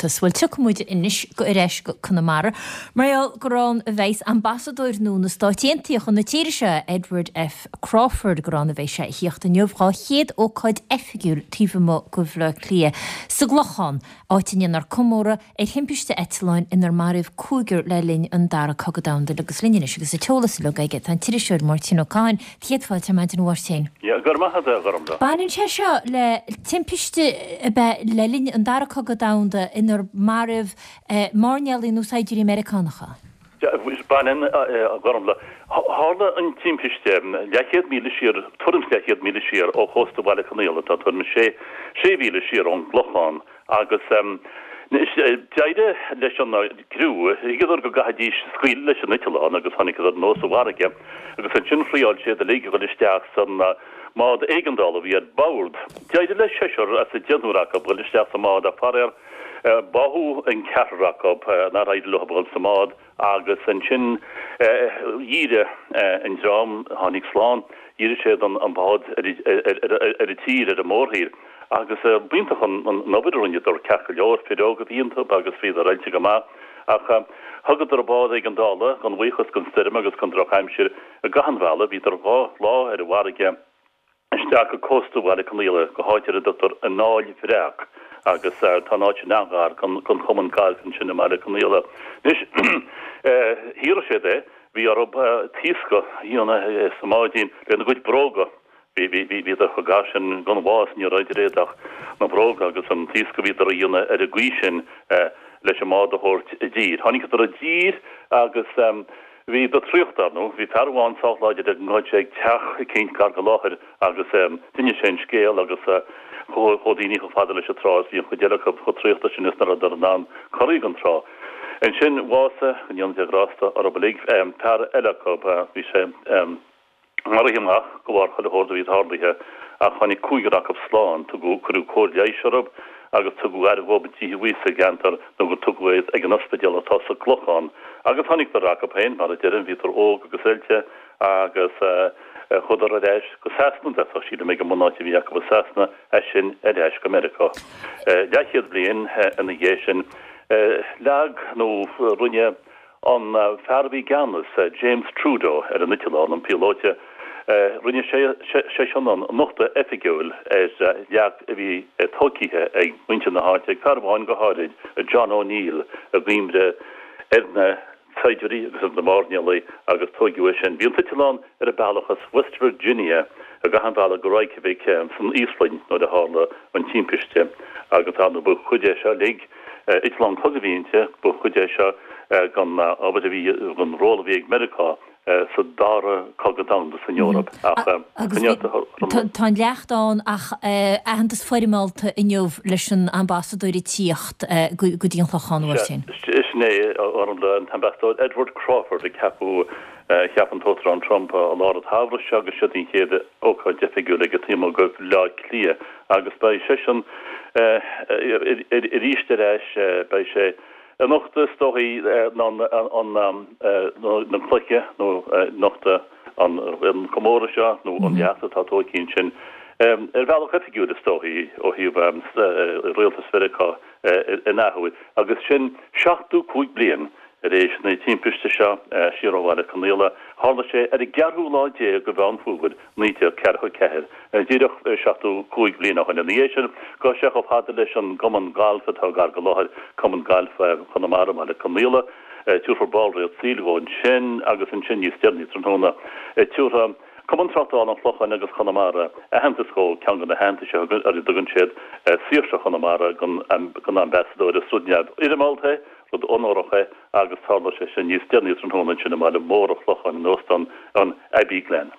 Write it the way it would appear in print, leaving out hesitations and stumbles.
Aontas. Bhuel, tiocfaidh muid anois ar ais go Conamara mar gheall gur ann a bheas ambasadóir nua na Stáit Aontaithe chun na tíre seo, Edward F. Crawford, gur ann a bheidh sé a thíocht inniu dhá chéad ócáid oifigiúil taobh amuigh de Bhaile Átha Cliath, sa gClochán, áit a ndéanfar comóradh ar thimpiste eitleáin inar maraíodh cúigear le linn an Dara Cogadh Domhanda agus linn anois agus an t-eolas uilig aige tá an t-iriseoir Máirtín Ó Cadhain. Céad fáilte ar maidin a Mháirtín. Yeah, go raibh maith agat a Ghormfhlaith. Baineann sé seo le timpiste ab ea le linn an Dara Cogadh Domhanda inar maraíodh mairnéalaigh nó saighdiúirí Meiriceánacha. Baineann, a Ghormfhlaith. Tharla an timpiste leathchéad míle siar, tuairim is leathchéad míle siar ó chósta Bhaile Conaola, tá tuairim is sé mhíle siar ón gClochán. Agus d'éirigh leis an gcriú, thuigeadar go gcaithfidís scaoileadh leis an eitleán agus tháinigeadar anuas sa bhfarraige agus ansin thriáil siad uilig a dhul isteach san mbád éigeandála a bhí ar bord. D'éirigh le seisear as an deichniúr acu dhul isteach sa mbád ach faraor báthadh an ceathrar acu nár éirigh leo a dhul sa mbád. Agus ansin dhírigh an dream a tháinig slán, dhírigh siad an bád ar an tír, ar an mórthír. Agus b'iontach an obair a rinneadar, ceart go leor, fir óga a bhí iontu agus bhíodar oilte go maith. Ach thugadar an bád éigeandála, gan bhuíochas don stoirm agus don drochaimsir, i gcaitheamh an bhealaigh, bhíodar 2 lá ar an bhfarraige, isteach go cósta Bhaile Conaola, go háit ar a dtugtar an Aill Bhreac, agus tá an áit sin an-ghar don chumann gailf ansin i mBaile Conaola. Anois, shaothraigh siad é, bhí orthu taoscadh a dhéanamh sa mbáidín lena gcuid bróga, bhí, bhí, bhí, bhíodar chomh gar sin don bhás, ní raibh idir iad ach na bróga agus an taoscadh a bhíodar a dhéanamh ar an gcaoi sin leis an mbád a thabhairt i dtír. Tháinigeadar i dtír agus. Bhíodar traochta, ar ndóigh. Bhí fear amháin sách láidir go ndeachaigh sé ag teach eicínt gar go láthair agus d'inis sé an scéal agus chuaigh daoine chomh fada leis an trá is bhí an chuid eile acu chomh traochta sin is ná rabhadar in ann corraí gon trá. Ansin bhásaigh, go ndéana Dia grásta orthu uilig, fear eile acu, bhí sé. maraithe amach de bharr chuile shórt a bhí tarlaithe ach tháinig cúigear acu slán. Tugadh, cuireadh cóir leighis orthu agus tugadh aire dhóibh i dtithe a bhí sa gceantar nó gur tugadh iad ag an ospidéal atá sa gClochán. Agus tháinigeadar acu féin, mar a deirim, bhíodar óg agus oilte agus chuadar ar ais go Sasana, d'fhéadfadh, sílim, ag an mbunáit a bhí acu i Sasana, as sin ar ais go Meiriceá. Leathchéad bliain ina dhiaidh sin, leag nó rinne An fear a bhí i gceannas, James Trudeau, ar an eitleán, an píolóta, rinne seisean an nochtadh oifigiúil ar leac a bhí tóigthe ag muintir na háite, ag fear amháin go háirid, John O'Neill, i gcuimhne ar na saighdiúirí agus ar na mairnéalaigh agus tóigeadh é sin. Bhí an t-eitleán ar a bealach as West Virginia i gcaitheamh an bhealaigh go Reykjavik san Íoslainn nuair a tharla an timpiste agus ar ndóigh ba chuid é seo uilig Eitleán cogaidh a bhí inti, ba chuid é seo den obair a bhí, den ról a bhí ag Meiriceá sa Dara Cogadh Domhanda san Eoraip. Ach tá an leacht ann ach aitheantas foirmeálta inniu leis an ambasadóir ag tíocht go dtí an Clochán, a Mháirtín. Sin é, an t-ambasadóir Edward Crawford a ceapadh, cheap an tUachtarán Trump i lár an tsamhraidh seo agus siod an chéad ócáid oifigiúil aige taobh amuigh de Bhaile Átha Cliath. Agus beidh seisean arís ar ais, beidh sé anocht is dóichí na cloiche nó nochtadh an comóradh seo nó an leacht atá tóigthe ansin ar bhealach oifigiúil is dóichí ó thaobh rialtas Mheiriceá in athuair agus sin 75 bliain tar éis na timpiste seo siar ó Bhaile Conaola. Tharla sé ar an gceathrú lá déag de Mheán Fómhair 1944, díreach 75 bliain ó shin. Ina dhiaidh sin, gabhfaidh sé chomh fada leis an gcumann gailf atá gar go láthair, Cumann Gailf Chonamara i mBaile Conaola. Tabharfar ballraíocht saoil dhó ansin agus ansin níos deireanaí tráthnóna, tabharfaidh Cumann Tráchtála an Chlocháin agus Chonamara aitheantas dhó, ceann de na haitheantais ar a dtugann siad Saoirse Chonamara don Ambasadóir. Is rud neamhfhoirmeálta é, rud onórach é agus tarlóidh sé sin níos deireanaí tráthnóna ansin i mbaile mór an Chlocháin in Óstán an Abbey Glen.